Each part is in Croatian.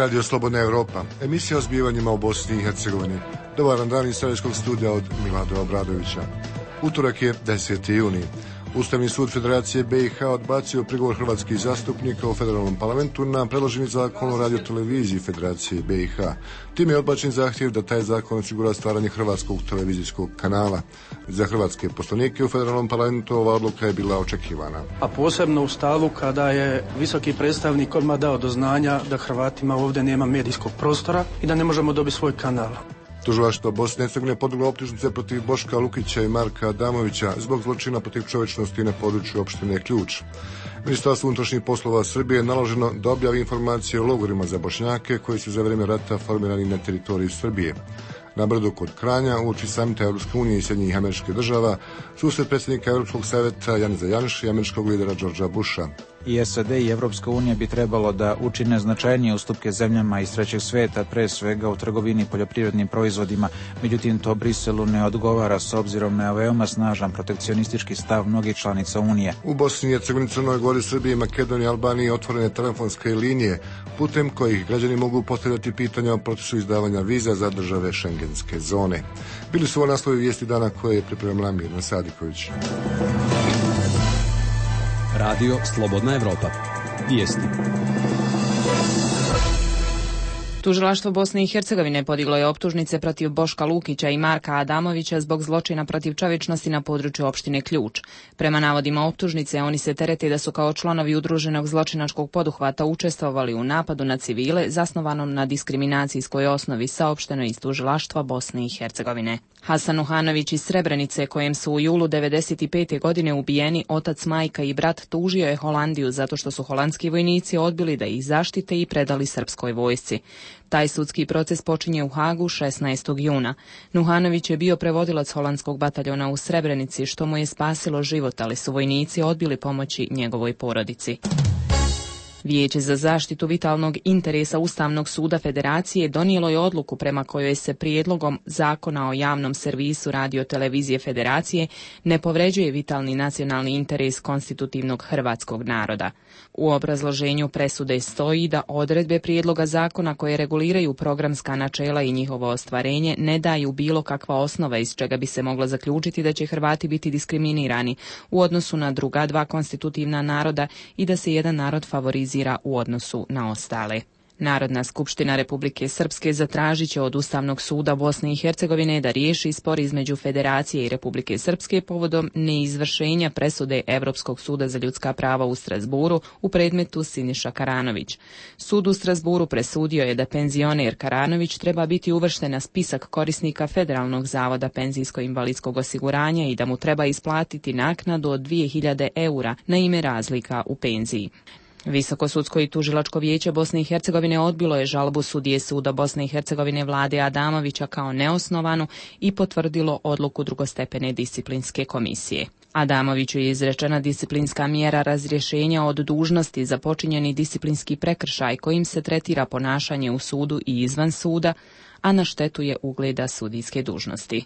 Radio Slobodna Evropa, emisija o zbivanjima u Bosni i Hercegovini. Dobar dan iz Sarajevskog studija od Milada Obradovića. Utorak je 10. juni. Ustavni sud Federacije BiH odbacio prigovor hrvatskih zastupnika u federalnom parlamentu na predloženi zakon o radioteleviziji Federacije BiH. Tim je odbačen zahtjev da taj zakon osigura stvaranje hrvatskog televizijskog kanala. Za hrvatske poslanike u federalnom parlamentu ova odluka je bila očekivana. A posebno u stavu kada je visoki predstavnik odmah dao do znanja da Hrvatima ovdje nema medijskog prostora i da ne možemo dobiti svoj kanal. Tužilaštvo Bosne i Hercegovine podiglo optužnice protiv Boška Lukića i Marka Adamovića zbog zločina protiv čovječnosti na području opštine Ključ. Ministarstvo unutrašnjih poslova Srbije je naloženo da objavi informacije o logorima za Bošnjake koji su za vrijeme rata formirani na teritoriji Srbije. Na Brdu kod Kranja, uoči samita Europske unije i Sjedinjenih Američkih Država, susret predsjednika Europskog savjeta Janeza Janše i američkog lidera Georgea Busha. I SAD i Evropska unija bi trebalo da učine značajnije ustupke zemljama iz trećeg sveta, pre svega u trgovini poljoprivrednim proizvodima. Međutim, to Briselu ne odgovara s obzirom na veoma snažan protekcionistički stav mnogih članica Unije. U Bosni i Hercegovini, Crnoj Gori, Srbiji, Makedoniji i Albaniji otvorene telefonske linije putem kojih građani mogu postavljati pitanja o procesu izdavanja viza za države šengenske zone. Bili su ovo naslovi vijesti dana koje je pripremila Mirna Sadiković. Radio Slobodna Evropa. Vijesti. Tužilaštvo Bosne i Hercegovine podiglo je optužnice protiv Boška Lukića i Marka Adamovića zbog zločina protiv čovječnosti na području opštine Ključ. Prema navodima optužnice, oni se terete da su kao članovi udruženog zločinačkog poduhvata učestvovali u napadu na civile zasnovanom na diskriminacijskoj osnovi, saopšteno iz Tužilaštva Bosne i Hercegovine. Hasan Uhanović iz Srebrenice, kojem su u julu 1995. godine ubijeni otac, majka i brat, tužio je Holandiju zato što su holandski vojnici odbili da ih zaštite i predali srpskoj vojsci. Taj sudski proces počinje u Hagu 16. juna. Nuhanović je bio prevodilac holandskog bataljona u Srebrenici, što mu je spasilo život, ali su vojnici odbili pomoći njegovoj porodici. Vijeće za zaštitu vitalnog interesa Ustavnog suda Federacije donijelo je odluku prema kojoj se prijedlogom zakona o javnom servisu radiotelevizije Federacije ne povređuje vitalni nacionalni interes konstitutivnog hrvatskog naroda. U obrazloženju presude stoji da odredbe prijedloga zakona koje reguliraju programska načela i njihovo ostvarenje ne daju bilo kakva osnova iz čega bi se moglo zaključiti da će Hrvati biti diskriminirani u odnosu na druga dva konstitutivna naroda i da se jedan narod favorizira u odnosu na ostale. Narodna skupština Republike Srpske zatražit će od Ustavnog suda Bosne i Hercegovine da riješi spor između Federacije i Republike Srpske povodom neizvršenja presude Evropskog suda za ljudska prava u Strasburu u predmetu Siniša Karanović. Sud u Strasburu presudio je da penzioner Karanović treba biti uvršten na spisak korisnika Federalnog zavoda penzijsko-invalidskog osiguranja i da mu treba isplatiti naknadu od 2000 eura na ime razlika u penziji. Visoko sudsko i tužilačko vijeće Bosne i Hercegovine odbilo je žalbu sudije suda Bosne i Hercegovine Vlade Adamovića kao neosnovanu i potvrdilo odluku drugostepene disciplinske komisije. Adamoviću je izrečena disciplinska mjera razrješenja od dužnosti za počinjeni disciplinski prekršaj kojim se tretira ponašanje u sudu i izvan suda, a na štetu je ugleda sudijske dužnosti.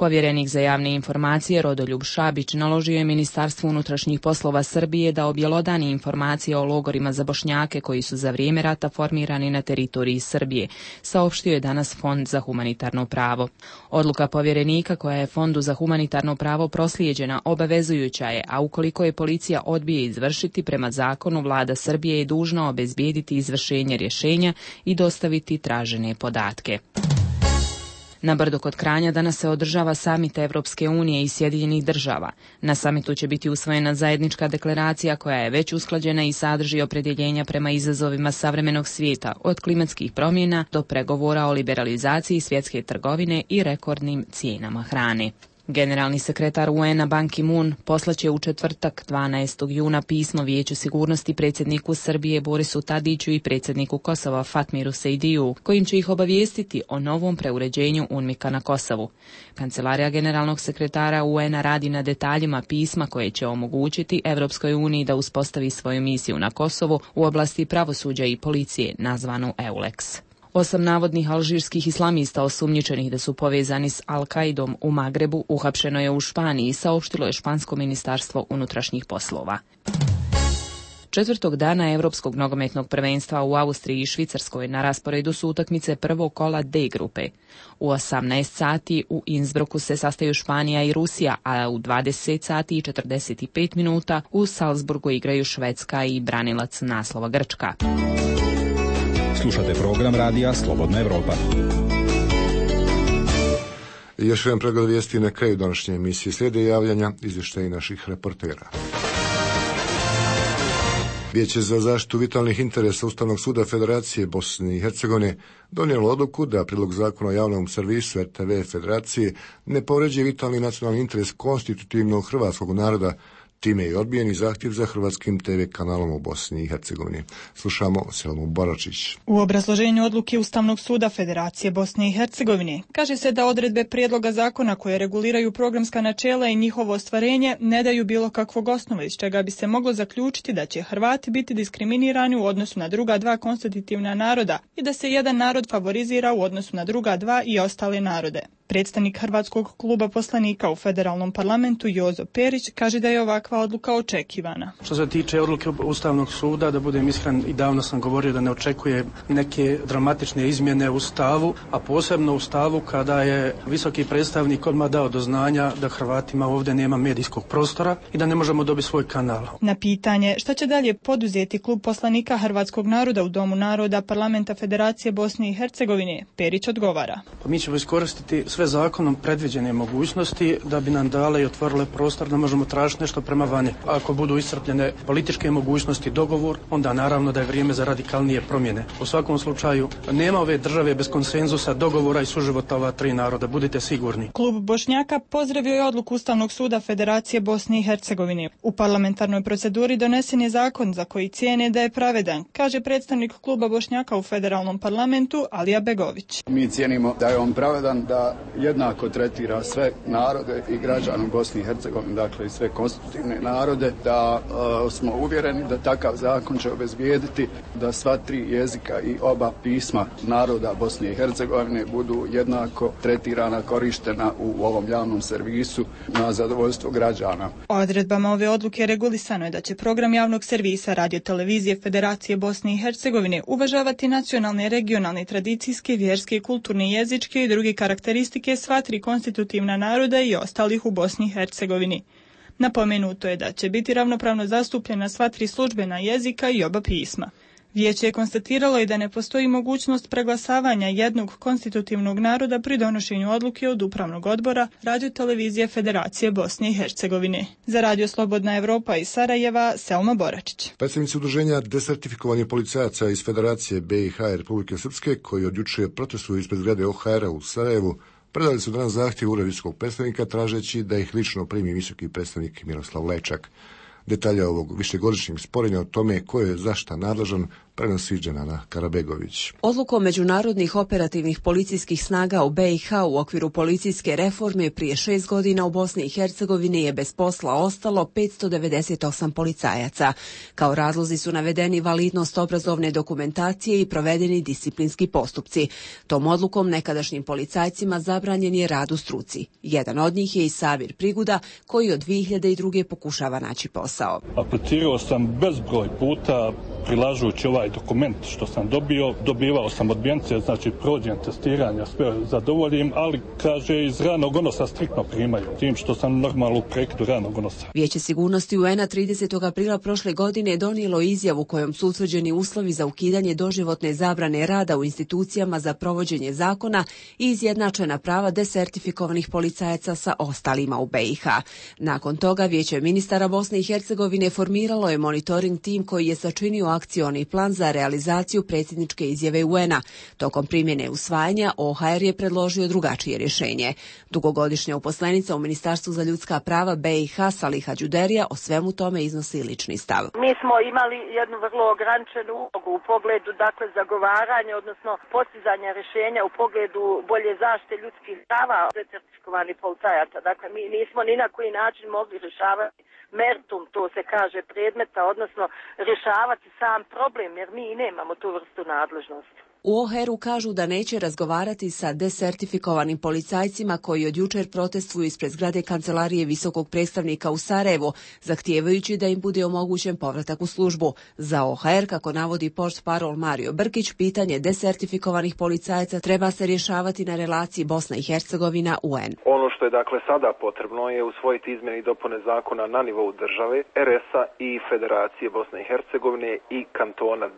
Povjerenik za javne informacije Rodoljub Šabić naložio je Ministarstvu unutrašnjih poslova Srbije da objelodani informacije o logorima za Bošnjake koji su za vrijeme rata formirani na teritoriji Srbije, saopštio je danas Fond za humanitarno pravo. Odluka povjerenika koja je Fondu za humanitarno pravo proslijeđena obavezujuća je, a ukoliko je policija odbije izvršiti, prema zakonu Vlada Srbije je dužna obezbijediti izvršenje rješenja i dostaviti tražene podatke. Na Brdu kod Kranja danas se održava samit Evropske unije i Sjedinjenih Država. Na samitu će biti usvojena zajednička deklaracija koja je već usklađena i sadrži opredjeljenja prema izazovima savremenog svijeta, od klimatskih promjena do pregovora o liberalizaciji svjetske trgovine i rekordnim cijenama hrane. Generalni sekretar UN-a Ban Ki-moon poslaće u četvrtak 12. juna pismo Vijeću sigurnosti predsjedniku Srbije Borisu Tadiću i predsjedniku Kosova Fatmiru Sejdiju, kojim će ih obavijestiti o novom preuređenju UNMIK-a na Kosovu. Kancelarija generalnog sekretara UN-a radi na detaljima pisma koje će omogućiti Evropskoj uniji da uspostavi svoju misiju na Kosovu u oblasti pravosuđa i policije, nazvanu EULEX. 8 navodnih alžirskih islamista osumnjičenih da su povezani s Al-Kaidom u Magrebu uhapšeno je u Španiji, saopštilo je špansko ministarstvo unutrašnjih poslova. Četvrtog dana Europskog nogometnog prvenstva u Austriji i Švicarskoj na rasporedu su utakmice prvog kola D grupe. U 18 sati u Innsbrucku se sastaju Španija i Rusija, a u 20 sati i 45 minuta u Salzburgu igraju Švedska i branilac naslova Grčka. Slušate program radija Slobodna Evropa. Još jedan pregled vijesti na kraju današnje emisije. Slijede javljanja, izvještaji naših reportera. Vijeće za zaštitu vitalnih interesa Ustavnog suda Federacije Bosne i Hercegovine donijelo odluku da prijedlog zakona o javnom servisu RTV Federacije ne povređuje vitalni nacionalni interes konstitutivnog hrvatskog naroda. Time je odbijen i zahtjev za hrvatskim TV kanalom u Bosni i Hercegovini. Slušamo Selmu Baračić. U obrazloženju odluke Ustavnog suda Federacije Bosne i Hercegovine kaže se da odredbe prijedloga zakona koje reguliraju programska načela i njihovo ostvarenje ne daju bilo kakvog osnova iz čega bi se moglo zaključiti da će Hrvati biti diskriminirani u odnosu na druga dva konstitutivna naroda i da se jedan narod favorizira u odnosu na druga dva i ostale narode. Predstavnik Hrvatskog kluba poslanika u federalnom parlamentu Jozo Perić kaže da je ovakva odluka očekivana. Što se tiče odluke Ustavnog suda, da budem iskren, i davno sam govorio da ne očekuje neke dramatične izmjene u stavu, a posebno u stavu kada je visoki predstavnik odmah dao do znanja da Hrvatima ovdje nema medijskog prostora i da ne možemo dobiti svoj kanal. Na pitanje šta će dalje poduzeti klub poslanika Hrvatskog naroda u Domu naroda Parlamenta Federacije Bosne i Hercegovine, Perić odgovara. Mi ćemo iskoristiti sve zakonom predviđene mogućnosti da bi nam dale i otvorile prostor da možemo tražiti nešto prema vani. Ako budu iscrpljene političke mogućnosti, dogovor, onda naravno da je vrijeme za radikalnije promjene. U svakom slučaju nema ove države bez konsenzusa, dogovora i suživota ova tri naroda, budite sigurni. Klub Bošnjaka pozdravio je odluku Ustavnog suda Federacije Bosne i Hercegovine. U parlamentarnoj proceduri donesen je zakon za koji cijene da je pravedan, kaže predstavnik kluba Bošnjaka u federalnom parlamentu Alija Begović. Mi cijenimo da je on pravedan, da jednako tretira sve narode i građane Bosne i Hercegovine, dakle i sve konstitutivne narode, da smo uvjereni da takav zakon će obezbijediti da sva tri jezika i oba pisma naroda Bosne i Hercegovine budu jednako tretirana, korištena u ovom javnom servisu na zadovoljstvo građana. Odredbama ove odluke regulisano je da će program javnog servisa Radio-televizije Federacije Bosne i Hercegovine uvažavati nacionalne, regionalne, tradicijske, vjerske, kulturne, jezičke i druge karakteristike sva tri konstitutivna naroda i ostalih u Bosni i Hercegovini. Napomenuto je da će biti ravnopravno zastupljena sva tri službena jezika i oba pisma. Vijeće je konstatiralo i da ne postoji mogućnost preglasavanja jednog konstitutivnog naroda pri donošenju odluke od Upravnog odbora Radio-televizije Federacije Bosne i Hercegovine. Za Radio Slobodna Evropa iz Sarajeva, Selma Boračić. Predstavnici udruženja desertifikovanih policajaca iz Federacije BiH i Republike Srpske, koji od juče protestuju ispred zgrade OHR-a u Sarajevu, predali su danas zahtjev uredu visokog predstavnika tražeći da ih lično primi visoki predstavnik Miroslav Lečak. Detalje ovog višegodišnjeg sporenja o tome ko je za šta nadležan prenosi Dženana Karabegović. Odlukom međunarodnih operativnih policijskih snaga u BiH u okviru policijske reforme prije 6 godina u Bosni i Hercegovini je bez posla ostalo 598 policajaca. Kao razlozi su navedeni validnost obrazovne dokumentacije i provedeni disciplinski postupci. Tom odlukom nekadašnjim policajcima zabranjen je rad u struci. Jedan od njih je i Savir Priguda, koji od 2002. pokušava naći posao. Aplicirao sam bezbroj puta prilažući ovaj dokument što sam dobivao sam odbijence, znači prođem testiranja, sve zadovoljim, ali kaže iz ranog unosa striktno primaju, tim što sam normalno u prekidu ranog unosa. Vijeće sigurnosti UN-a 30. aprila prošle godine donijelo izjavu kojom su utvrđeni uslovi za ukidanje doživotne zabrane rada u institucijama za provođenje zakona i izjednačena prava desertifikovanih policajaca sa ostalima u BiH. Nakon toga Vijeće ministara Bosne i Hercegovine formiralo je monitoring tim koji je sačinio akcioni plan za realizaciju predsjedničke izjave UN-a. Tokom primjene usvajanja OHR je predložio drugačije rješenje. Dugogodišnja uposlenica u Ministarstvu za ljudska prava BiH Saliha Đuderija o svemu tome iznosi lični stav. Mi smo imali jednu vrlo ograničenu ulogu u pogledu zagovaranja, odnosno postizanja rješenja u pogledu bolje zaštite ljudskih prava desertifikovanih policajaca. Dakle, mi nismo ni na koji način mogli rješavati meritum, to se kaže, predmeta, odnosno rješavati sam problem, jer mi nemamo tu vrstu nadležnosti. U OHR-u kažu da neće razgovarati sa desertifikovanim policajcima koji od jučer protestuju ispred zgrade Kancelarije visokog predstavnika u Sarajevu, zahtijevajući da im bude omogućen povratak u službu. Za OHR, kako navodi portparol Mario Brkić, pitanje desertifikovanih policajaca treba se rješavati na relaciji Bosna i Hercegovina-UN. Ono što je dakle sada potrebno je usvojiti izmjene i dopune zakona na nivou države, RS-a i Federacije Bosne i Hercegovine i kantona 10,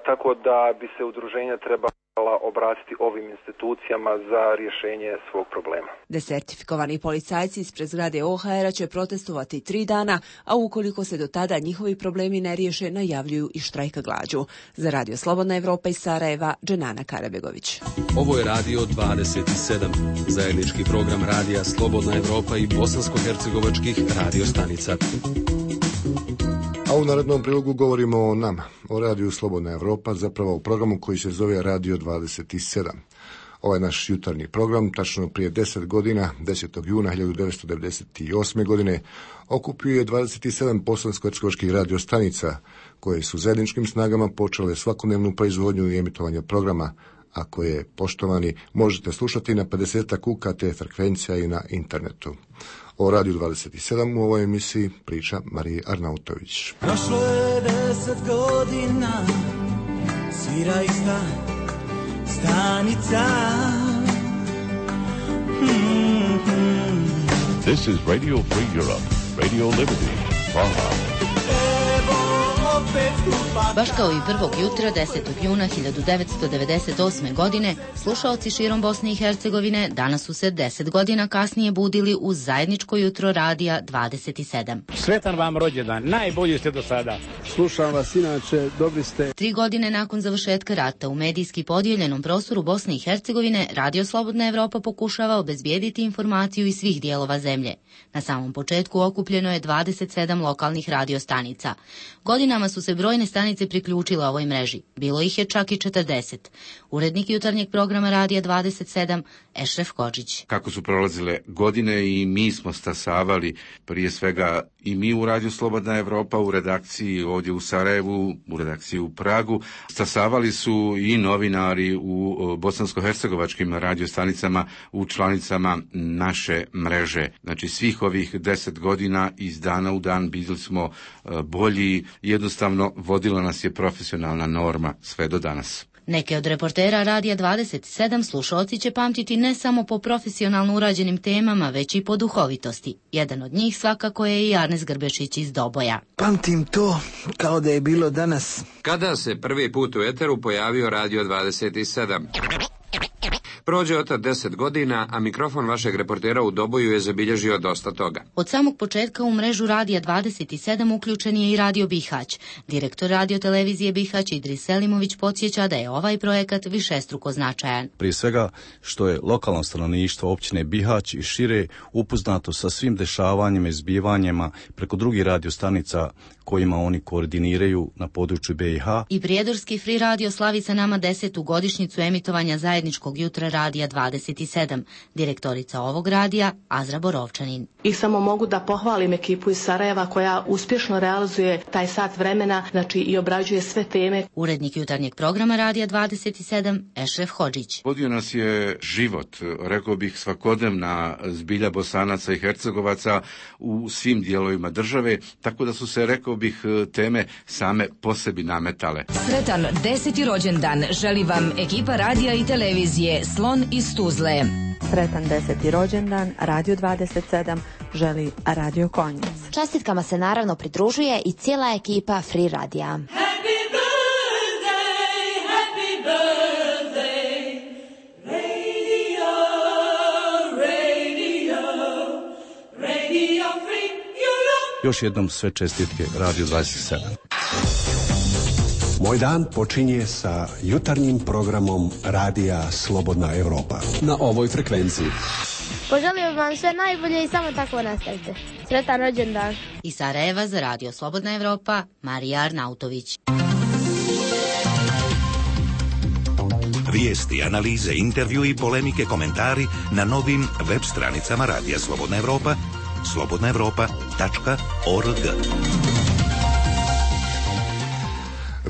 tako da bi se udruženja trebala obratiti ovim institucijama za rješenje svog problema. Desertifikovani policajci ispred zgrade OHR-a će protestovati 3 dana, a ukoliko se do tada njihovi problemi ne riješe, najavljuju i štrajk glađu. Za Radio Slobodna Evropa iz Sarajeva, Dženana Karabegović. Ovo je Radio 27, zajednički program Radija Slobodna Evropa i bosansko-hercegovačkih radiostanica. A u narednom prilogu govorimo o nama, o Radiju Slobodna Evropa, zapravo o programu koji se zove Radio 27. Ovaj naš jutarnji program, tačno prije 10 godina, 10. juna 1998. godine, okupio je 27 bosansko-hercegovačkih radiostanica, koje su zajedničkim snagama počele svakodnevnu proizvodnju i emitovanje programa, a koje, poštovani, možete slušati na 50 UKT frekvencija i na internetu. O Radiju 27 u ovoj emisiji priča Marija Arnautović. Prošlo je 10 godina, svira ista stanica. This is Radio Free Europe, Radio Liberty, Praha. Baš kao i prvog jutra 10. juna 1998. godine, slušaoci širom Bosne i Hercegovine danas su se 10 godina kasnije budili uz zajedničko jutro Radija 27. Sretan vam rođendan, najbolji ste do sada. Slušam vas inače, dobri ste. 3 godine nakon završetka rata u medijski podijeljenom prostoru Bosne i Hercegovine, Radio Slobodna Evropa pokušava obezbijediti informaciju iz svih dijelova zemlje. Na samom početku okupljeno je 27 lokalnih radiostanica. Godinama su se brojne stanice priključile ovoj mreži. Bilo ih je čak i 40. Urednik jutarnjeg programa Radija 27, Ešref Hodžić. Kako su prolazile godine i mi smo stasavali, prije svega i mi u Radiju Slobodna Evropa, u redakciji ovdje u Sarajevu, u redakciji u Pragu, stasavali su i novinari u bosansko-hercegovačkim radiostanicama, u članicama naše mreže. Znači svih ovih 10 godina iz dana u dan bili smo bolji, jednostavno vodila nas je profesionalna norma sve do danas. Neke od reportera Radija 27 slušalci će pamtiti ne samo po profesionalno urađenim temama, već i po duhovitosti. Jedan od njih svakako je i Arnes Grbešić iz Doboja. Pamtim to kao da je bilo danas. Kada se prvi put u eteru pojavio Radio 27? Prođe od 10 godina, a mikrofon vašeg reportera u Doboju je zabilježio dosta toga. Od samog početka u mrežu Radija 27 uključen je i Radio Bihać. Direktor radiotelevizije Bihać Idris Selimović podsjeća da je ovaj projekat višestruko značajan. Prije svega što je lokalno stanovništvo općine Bihać i šire upoznato sa svim dešavanjima i zbivanjima preko drugih radiostanica kojima oni koordiniraju na području BiH. I prijedorski Free Radio slavi sa nama 10. godišnjicu emitovanja zajedničkog jutra Radija 27. Direktorica ovog radija Azra Borovčanin. I samo mogu da pohvalim ekipu iz Sarajeva koja uspješno realizuje taj sat vremena, znači i obrađuje sve teme. Urednik jutarnjeg programa Radija 27, Ešref Hodžić. Vodio nas je život, rekao bih svakodnevna zbilja Bosanaca i Hercegovaca u svim dijelovima države, tako da su se, rekao bih, teme same po sebi nametale. Sretan 10. rođendan želi vam ekipa radija i televizije Slon iz Tuzle. Sretan 10. rođendan Radio 27 želi Radio Konjic. Čestitkama se naravno pridružuje i cijela ekipa Free Radija. Još jednom sve čestitke Radio 27. Moj dan počinje sa jutarnjim programom Radija Slobodna Evropa. Na ovoj frekvenciji. Poželim vam sve najbolje i samo tako nastavite. Sretan rođendan. Iz Sarajeva za Radio Slobodna Evropa, Marija Arnautović. Vijesti, analize, intervju i polemike, komentari na novim web stranicama Radija Slobodna Evropa, slobodnaevropa.org.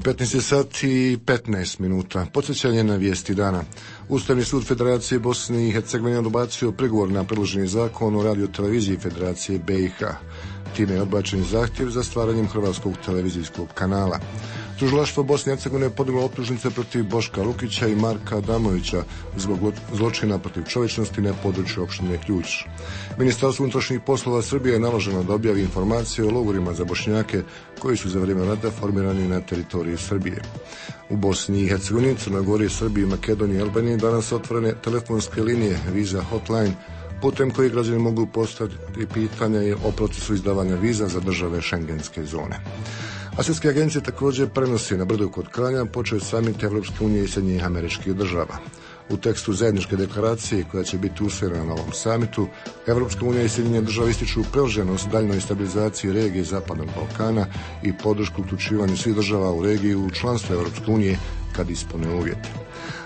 15 sati i 15 minuta. Podsjećanje na vijesti dana. Ustavni sud Federacije Bosne i Hercegovine odbacio prigovor na predloženi zakon o radioteleviziji Federacije BiH. Time je odbačen zahtjev za stvaranjem hrvatskog televizijskog kanala. Tužilaštvo Bosne i Hercegovine podiglo optužnice protiv Boška Lukića i Marka Adamovića zbog zločina protiv čovječnosti na području opštine Ključ. Ministarstvu unutrašnjih poslova Srbije je naloženo da objavi informacije o logorima za Bošnjake koji su za vrijeme rata formirani na teritoriji Srbije. U Bosni i Hercegovini, Crnoj Gori, Srbiji, Makedoniji i Albaniji danas otvorene telefonske linije Visa Hotline, putem koji građani mogu postaviti pitanja o procesu izdavanja viza za države šengenske zone. A svjetske agencije također prenosi na brdu kod Kranja počeo samit Evropske unije i Sjedinjenih Američkih Država. U tekstu zajedničke deklaracije koja će biti usvojena na ovom samitu, Evropska unija i Sjedinjene Države ističu privrženost daljnoj stabilizaciji regije Zapadnog Balkana i podršku uključivanju svih država u regiju u članstvo Evropske unije kad ispune uvjete.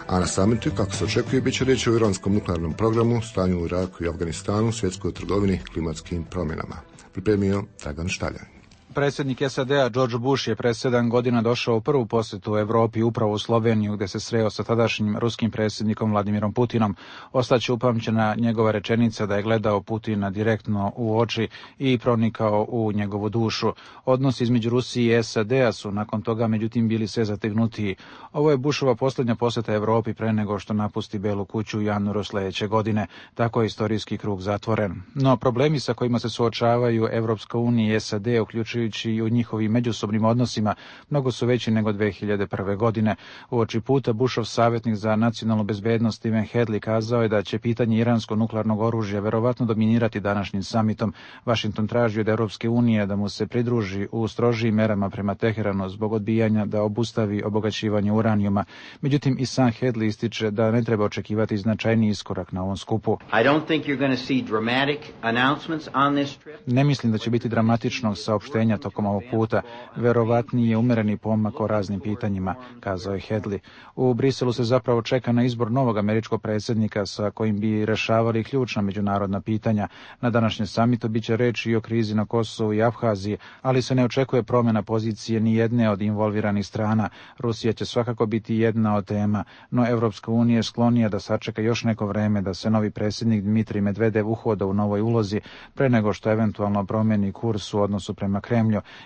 A na samitu, kako se očekuje, bit će riječ o iranskom nuklearnom programu, stanju u Iraku i Afganistanu, svjetskoj trgovini, klimatskim promjenama. Pripremio Dragan Štaljan. Predsjednik SAD-a George Bush je pred 7 godina došao u prvu posjetu u Europi, upravo u Sloveniju, gdje se sreo sa tadašnjim ruskim predsjednikom Vladimirom Putinom. Ostaće upamćena njegova rečenica da je gledao Putina direktno u oči i pronikao u njegovu dušu. Odnosi između Rusije i SAD-a su nakon toga međutim bili sve zategnutiji. Ovo je Bushova posljednja posjeta Europi pre nego što napusti Belu kuću u januaru sljedeće godine. Tako je istorijski krug zatvoren. No problemi sa kojima se suočavaju Evropska unija i SAD, uključujući i u njihovim međusobnim odnosima, mnogo su veći nego 2001. godine. Uoči puta Bushov savjetnik za nacionalnu bezbednost Stephen Hadley kazao je da će pitanje iranskog nuklearnog oružja verovatno dominirati današnjim samitom. Washington traži od Europske unije da mu se pridruži u strožijim merama prema Teheranu zbog odbijanja da obustavi obogaćivanje uranijuma. Međutim, i sam Hadley ističe da ne treba očekivati značajni iskorak na ovom skupu. Ne mislim da će biti dramatičnog saopštenja tokom ovog puta. Verovatniji je umereni pomak o raznim pitanjima, kazao je Hadley. U Briselu se zapravo čeka na izbor novog američkog predsjednika sa kojim bi rešavali ključna međunarodna pitanja. Na današnjem samitu bit će reći i o krizi na Kosovu i Abhaziji, ali se ne očekuje promjena pozicije ni jedne od involviranih strana. Rusija će svakako biti jedna od tema, no Evropska unija je sklonija da sačeka još neko vreme da se novi predsjednik Dmitrij Medvedev uhoda u novoj ulozi pre nego što eventualno promijeni kurs u odnosu prema Kremlju.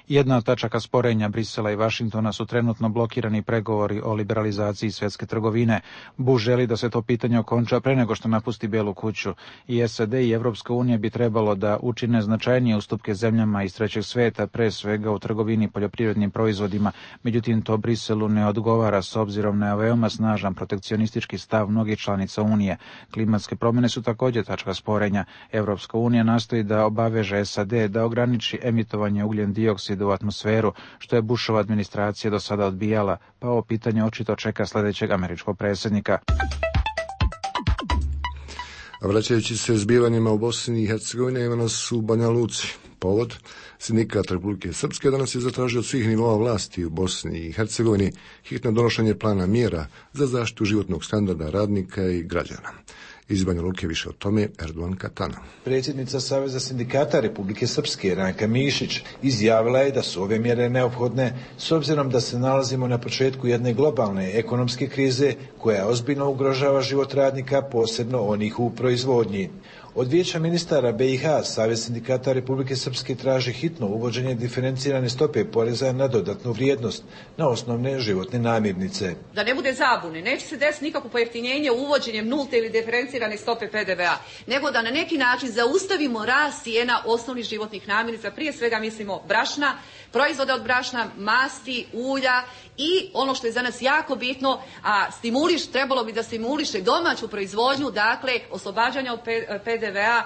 Jedna od tačaka sporenja Brisela i Vašingtona su trenutno blokirani pregovori o liberalizaciji svjetske trgovine. Bush želi da se to pitanje okonča pre nego što napusti Belu kuću. I SAD i Evropska unija bi trebalo da učine značajnije ustupke zemljama iz trećeg sveta, pre svega u trgovini poljoprivrednim proizvodima. Međutim, to Briselu ne odgovara s obzirom na veoma snažan protekcionistički stav mnogih članica Unije. Klimatske promjene su također tačka sporenja. Evropska unija nastoji da obaveže SAD da ograniči emitovanje ugljen dioksida u atmosferu, što je Bushova administracija do sada odbijala, pa ovo pitanje očito čeka sljedećeg američkog predsjednika. Vraćajući se zbivanjima u Bosni i Hercegovini, ima nas u Banja Luci. Povod, Sindikat Republike Srpske danas je zatražio od svih nivoa vlasti u Bosni i Hercegovini hitno donošenje plana mjera za zaštitu životnog standarda radnika i građana. Iz Banja Luke više o tome Erdogan Katana. Predsjednica Saveza sindikata Republike Srpske Ranka Mišić izjavila je da su ove mjere neophodne s obzirom da se nalazimo na početku jedne globalne ekonomske krize koja ozbiljno ugrožava život radnika, posebno onih u proizvodnji. Od Vijeća ministara BiH Savez sindikata Republike Srpske traži hitno uvođenje diferencirane stope poreza na dodatnu vrijednost na osnovne životne namirnice. Da ne bude zabune, neće se desiti nikakvo pojeftinjenje uvođenjem nulte ili diferencirane stope PDV-a, nego da na neki način zaustavimo rast cijena osnovnih životnih namirnica, prije svega mislimo brašna, proizvoda od brašna, masti, ulja i ono što je za nas jako bitno, a trebalo bi da stimuliše domaću proizvodnju, dakle oslobađanja od PDV-a,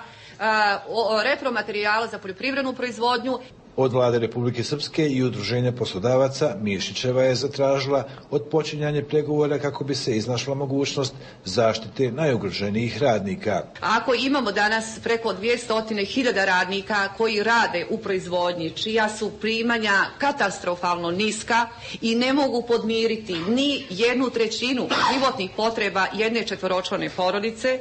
repromaterijala za poljoprivrednu proizvodnju. Od Vlade Republike Srpske i Udruženja poslodavaca Mišićeva je zatražila odpočinjanje pregovora kako bi se iznašla mogućnost zaštite najugroženijih radnika. Ako imamo danas preko 200.000 radnika koji rade u proizvodnji, čija su primanja katastrofalno niska i ne mogu podmiriti ni 1/3 životnih potreba jedne četvoročlane porodice,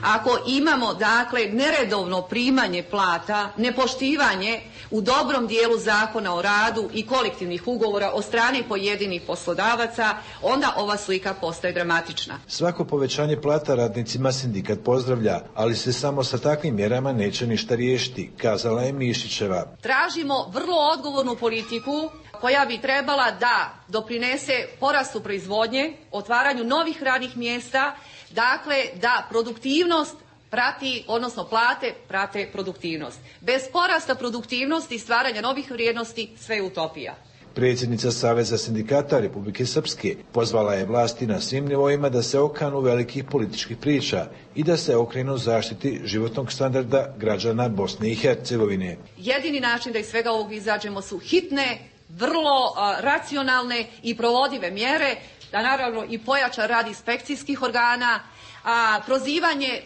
ako imamo dakle neredovno primanje plata, nepoštivanje u dobroj dobrom dijelu zakona o radu i kolektivnih ugovora od strane pojedinih poslodavaca, onda ova slika postaje dramatična. Svako povećanje plata radnicima sindikat pozdravlja, ali se samo sa takvim mjerama neće ništa riješiti, kazala je Mišićeva. Tražimo vrlo odgovornu politiku koja bi trebala da doprinese porastu proizvodnje, otvaranju novih radnih mjesta, dakle da produktivnost prati, odnosno plate prate produktivnost. Bez porasta produktivnosti i stvaranja novih vrijednosti sve je utopija. Predsjednica Saveza sindikata Republike Srpske pozvala je vlasti na svim nivoima da se okanu velikih političkih priča i da se okrenu zaštiti životnog standarda građana Bosne i Hercegovine. Jedini način da iz svega ovog izađemo su hitne, vrlo racionalne i provodive mjere, da naravno i pojača rad inspekcijskih organa, a prozivanje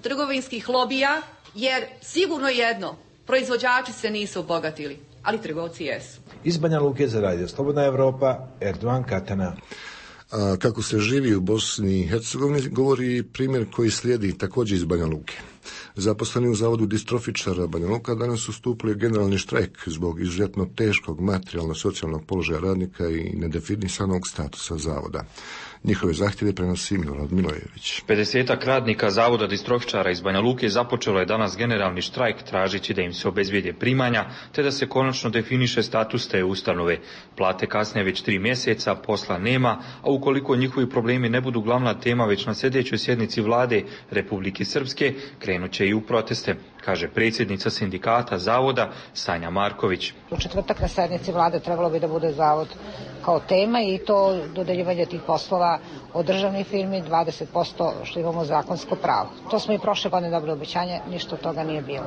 trgovinskih lobija, jer sigurno jedno, proizvođači se nisu obogatili, ali trgovci jesu. Iz Banja Luke za Radio Slobodna Evropa, Erdogan Katana. Kako se živi u Bosni i Hercegovini govori primjer koji slijedi također iz Banja Luke. Zaposleni u zavodu distrofičara Banja Luka danas su stupili generalni štrajk zbog izuzetno teškog materijalno-socijalnog položaja radnika i nedefinisanog statusa zavoda. Njihove zahtjeve prenosi Milorad Milojević. 50-ak radnika zavoda distrofičara iz Banja Luke započelo je danas generalni štrajk tražeći da im se obezbijede primanja te da se konačno definiše status te ustanove. Plate kasne već 3 mjeseca, posla nema, a ukoliko njihovi problemi ne budu glavna tema već na sljedećoj sjednici vlade Republike Srpske, krenut će i u proteste, kaže predsjednica sindikata zavoda Sanja Marković. U četvrtak na sjednici vlade trebalo bi da bude zavod kao tema i to dodeljivanje tih poslova od državnih firmi 20% što imamo zakonsko pravo. To smo i prošle godine dobili obećanje, ništa od toga nije bilo.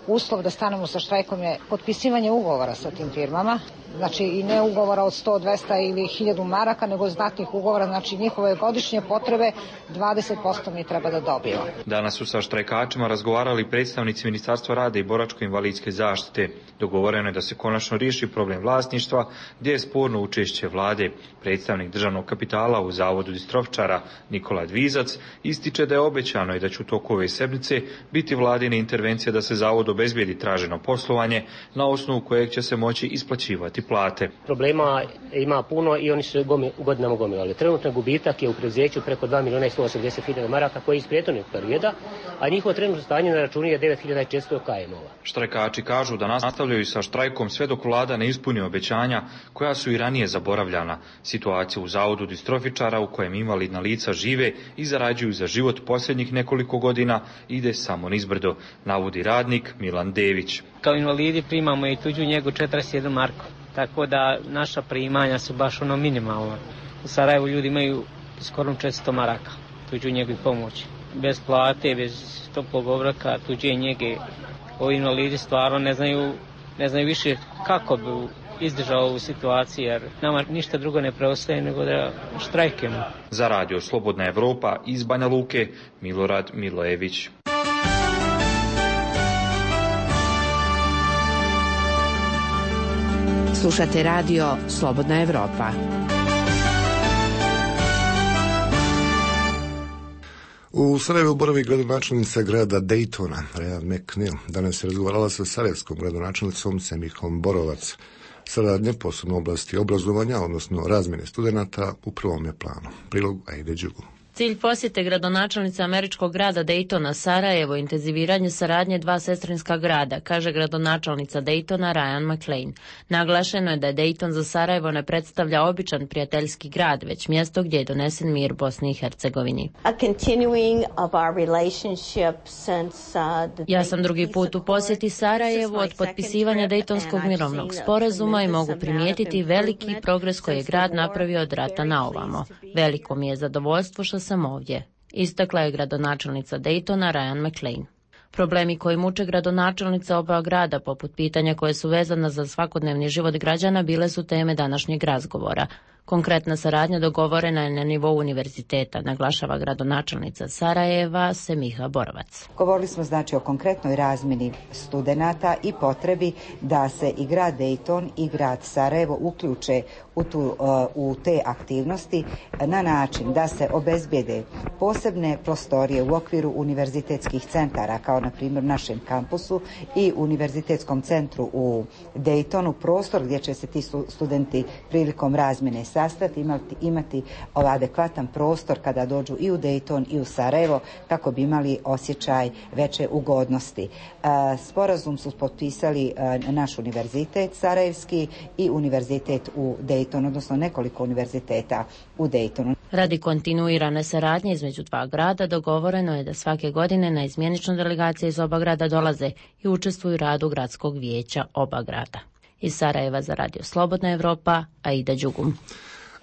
Uslov da stanemo sa štrajkom je potpisivanje ugovora sa tim firmama, znači i ne ugovora od 100, 200 ili 1000 maraka, nego znatnih ugovora, znači njihove godišnje potrebe 20% mi treba da dobijemo. Danas su sa štrajkačima razgovarali predstavnici Ministarstva rada i boračko-invalidske zaštite. Dogovoreno je da se konačno riješi problem vlasništva, gdje je sporno učešće vlade. Predstavnik državnog kapitala u zavodu distrofičara Nikola Dvizac ističe da je obećano i da će u toku ove sedmice biti vladine intervencije da se zavod obezbijedi traženo poslovanje na osnovu kojeg će se moći isplaćivati plate. Problema ima puno i oni su godinama gomilali. Trenutno gubitak je u preduzeću preko 2.180.000 maraka koji je iz prethodnog perioda, a njihovo trenutno stanje na računu je 9.400 KM-ova. Štrajkači kažu da nastavljaju sa štrajkom sve dok vlada ne ispuni obećanja koja su i ranije zaboravljana. Situacija u zavodu distrofičara u kojem invalidna lica žive i zarađuju za život posljednjih nekoliko godina ide samo nizbrdo, navodi radnik Milan Dević. Kao invalidi primamo i tuđu njegu 41 marku, tako da naša primanja su baš minimalna. U Sarajevu ljudi imaju skoro 400 maraka tuđu njegu i pomoći. Bez plate, bez toplog obroka, tuđe njege. Ovi invalidi stvarno ne znaju više kako bi izdržao ovu situaciju, jer nama ništa drugo ne preostaje nego da štrajkemo. Za Radio Slobodna Evropa iz Banja Luke, Milorad Milojević. Slušate radio Slobodna Evropa. U Sarajevu boravi gradonačelnica grada Daytona, Ryan McNeil. Danas je razgovarala sa sarajevskom gradonačelnicom Semihom Borovac. Saradnje, posebno oblasti obrazovanja, odnosno razmjene studenata, u prvom je planu. Prilog Aide Đugu. Cilj posjete gradonačelnice američkog grada Daytona Sarajevo intenziviranje saradnje dva sestrinska grada, kaže gradonačelnica Daytona Ryan McLean. Naglašeno je da Dayton za Sarajevo ne predstavlja običan prijateljski grad, već mjesto gdje je donesen mir Bosni i Hercegovini. Ja sam drugi put u posjeti Sarajevu od potpisivanja Daytonskog mirovnog sporazuma i mogu primijetiti veliki progres koji je grad napravio od rata na ovamo. Veliko mi je zadovoljstvo što sam ovdje, istakla je gradonačelnica Daytona Ryan McLean. Problemi koji muče gradonačelnica oba grada, poput pitanja koje su vezana za svakodnevni život građana, bile su teme današnjeg razgovora. Konkretna saradnja dogovorena je na nivou univerziteta, naglašava gradonačelnica Sarajeva Semiha Borovac. Govorili smo znači o konkretnoj razmjeni studenata i potrebi da se i grad Dayton i grad Sarajevo uključe u te aktivnosti na način da se obezbijede posebne prostorije u okviru univerzitetskih centara, kao na primjer u našem kampusu i univerzitetskom centru u Daytonu, prostor gdje će se ti studenti prilikom razmjene sastati, imati adekvatan prostor kada dođu i u Dayton i u Sarajevo, kako bi imali osjećaj veće ugodnosti. Sporazum su potpisali naš univerzitet sarajevski i univerzitet u Daytonu, odnosno nekoliko univerziteta u Daytonu. Radi kontinuirane saradnje između dva grada dogovoreno je da svake godine na izmjeničnu delegacije iz oba grada dolaze i učestvuju u radu gradskog vijeća oba grada. Iz Sarajeva za Radio Slobodna Evropa, Aida Đugum.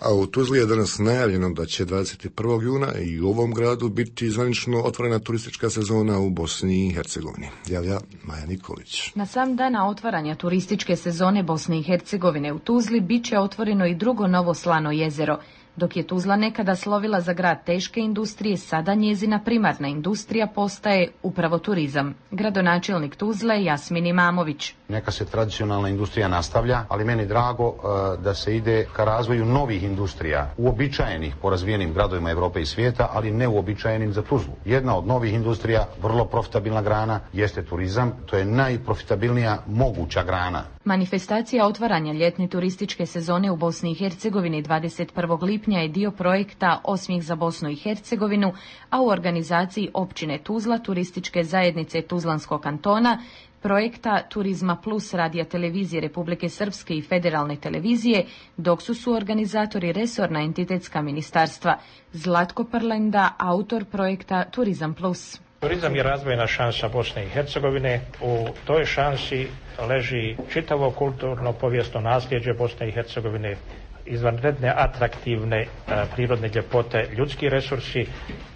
A u Tuzli je danas najavljeno da će 21. juna i u ovom gradu biti zvanično otvorena turistička sezona u Bosni i Hercegovini. Javlja Maja Nikolić. Na sam dana otvaranja turističke sezone Bosne i Hercegovine u Tuzli bit će otvoreno i drugo novo slano jezero. Dok je Tuzla nekada slovila za grad teške industrije, sada njezina primarna industrija postaje upravo turizam. Gradonačelnik Tuzle Jasmin Imamović. Neka se tradicionalna industrija nastavlja, ali meni drago da se ide ka razvoju novih industrija, uobičajenih po razvijenim gradovima Evrope i svijeta, ali ne uobičajenim za Tuzlu. Jedna od novih industrija, vrlo profitabilna grana, jeste turizam. To je najprofitabilnija moguća grana. Manifestacija otvaranja ljetne turističke sezone u Bosni i Hercegovini 21. lipnja je dio projekta Osmijeh za Bosnu i Hercegovinu, a u organizaciji općine Tuzla, turističke zajednice Tuzlanskog kantona, projekta Turizma Plus Radija televizije Republike Srpske i Federalne televizije, dok su suorganizatori resorna entitetska ministarstva. Zlatko Prlenda, autor projekta Turizam Plus. Turizam je razvojna šansa Bosne i Hercegovine. U toj šansi leži čitavo kulturno povijesno nasljeđe Bosne i Hercegovine, izvanredne atraktivne prirodne ljepote, ljudski resursi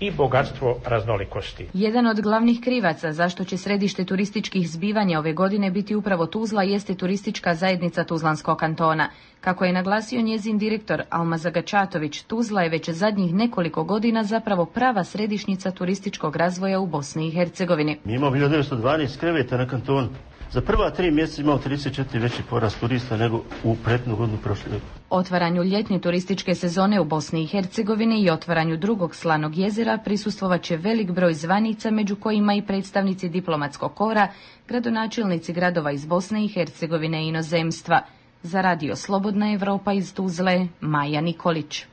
i bogatstvo raznolikosti. Jedan od glavnih krivaca zašto će središte turističkih zbivanja ove godine biti upravo Tuzla jeste turistička zajednica Tuzlanskog kantona. Kako je naglasio njezin direktor Alma Zagačatović, Tuzla je već zadnjih nekoliko godina zapravo prava središnjica turističkog razvoja u Bosni i Hercegovini. Mi imamo 1912 kreveta na kantonu. Za prva 3 mjeseca imao 34 veći porast turista nego u prethodnu godinu prošle. Otvaranju ljetne turističke sezone u Bosni i Hercegovini i otvaranju drugog slanog jezera prisustvovat će velik broj zvanica, među kojima i predstavnici diplomatskog kora, gradonačelnici gradova iz Bosne i Hercegovine i inozemstva. Za Radio Slobodna Evropa iz Tuzle, Maja Nikolić.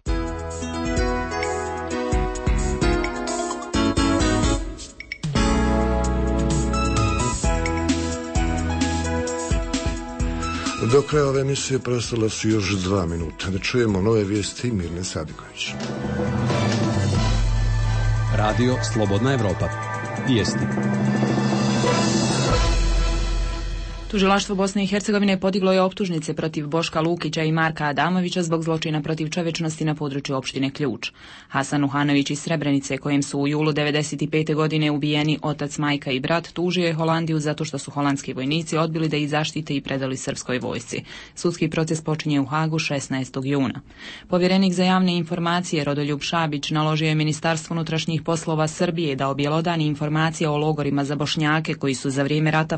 Do kraja ove emisije preostala su još 2 minuta. Da čujemo nove vijesti Mirne Sadiković. Radio Slobodna Evropa. Vijesti. Tužilaštvo Bosne i Hercegovine podiglo je optužnice protiv Boška Lukića i Marka Adamovića zbog zločina protiv čovječnosti na području opštine Ključ. Hasan Uhanović iz Srebrenice, kojem su u julu 1995. godine ubijeni otac, majka i brat, tužio je Holandiju zato što su holandski vojnici odbili da ih zaštite i predali srpskoj vojsci. Sudski proces počinje u Hagu 16. juna. Povjerenik za javne informacije Rodoljub Šabić naložio je Ministarstvu unutrašnjih poslova Srbije da objelodani informacije o logorima za Bošnjake koji su za vrijeme rata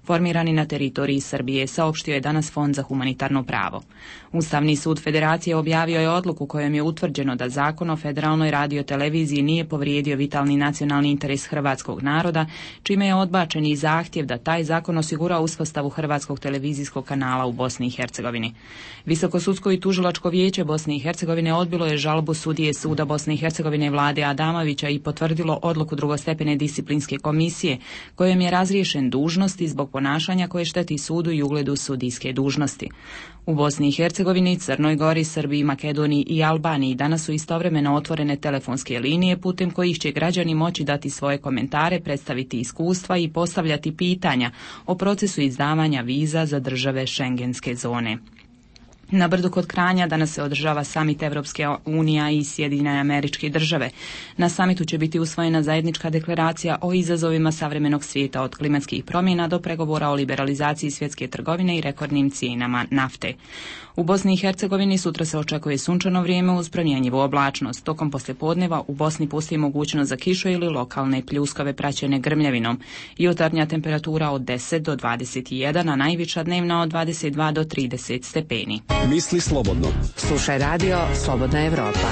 formirani na teritoriji Srbije, saopštio je danas Fond za humanitarno pravo. Ustavni sud Federacije objavio je odluku kojom je utvrđeno da Zakon o federalnoj radioteleviziji nije povrijedio vitalni nacionalni interes hrvatskog naroda, čime je odbačen i zahtjev da taj zakon osigura uspostavu hrvatskog televizijskog kanala u Bosni i Hercegovini. Visokosudsko i tužilačko vijeće Bosne i Hercegovine odbilo je žalbu sudije Suda Bosne i Hercegovine Vlade Adamovića i potvrdilo odluku drugostepene disciplinske komisije kojom je razriješen dužnosti zbog ponašanja koje šteti sudu i ugledu sudijske dužnosti. U Bosni i Hercegovini, Crnoj Gori, Srbiji, Makedoniji i Albaniji danas su istovremeno otvorene telefonske linije putem kojih će građani moći dati svoje komentare, predstaviti iskustva i postavljati pitanja o procesu izdavanja viza za države šengenske zone. Na Brdu kod Kranja danas se održava samit Evropske unije i Sjedinjene Američke Države. Na samitu će biti usvojena zajednička deklaracija o izazovima savremenog svijeta, od klimatskih promjena do pregovora o liberalizaciji svjetske trgovine i rekordnim cijenama nafte. U Bosni i Hercegovini sutra se očekuje sunčano vrijeme uz promjenjivu oblačnost. Tokom poslijepodneva u Bosni postoji mogućnost za kišu ili lokalne pljuskave praćene grmljavinom. Jutarnja temperatura od 10 do 21, a najviša dnevna od 22 do 30 stepeni. Misli slobodno. Slušaj radio Slobodna Evropa.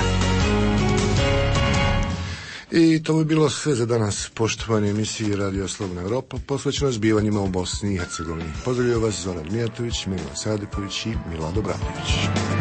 I to bi bilo sve za danas, poštovani emisiji Radio Slobodna Evropa, posvećeno zbivanjima u Bosni i Hercegovini. Pozdravljaju vas Zoran Mijatović, Miljan Sadeković i Milado Bratović.